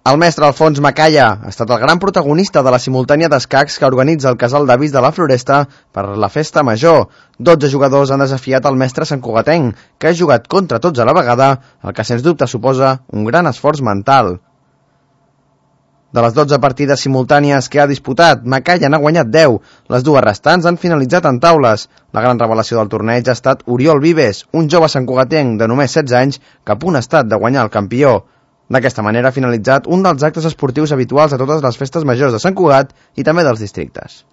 El mestre Alfons Macaya ha estat el gran protagonista de la simultània d'escacs que organitza el Casal d'Avis de la Floresta per la festa major. 12 jugadors han desafiat el mestre santcugatenc, que ha jugat contra tots a la vegada, el que sens dubte suposa un gran esforç mental. De les 12 partides simultànies que ha disputat, Macaya n'ha guanyat 10. Les dues restants han finalitzat en taules. La gran revelació del torneig ha estat Oriol Vives, un jove santcugatenc de només 16 anys que a punt ha estat de guanyar el campió. D'aquesta manera ha finalitzat un dels actes esportius habituals a totes les festes majors de Sant Cugat i també dels districtes.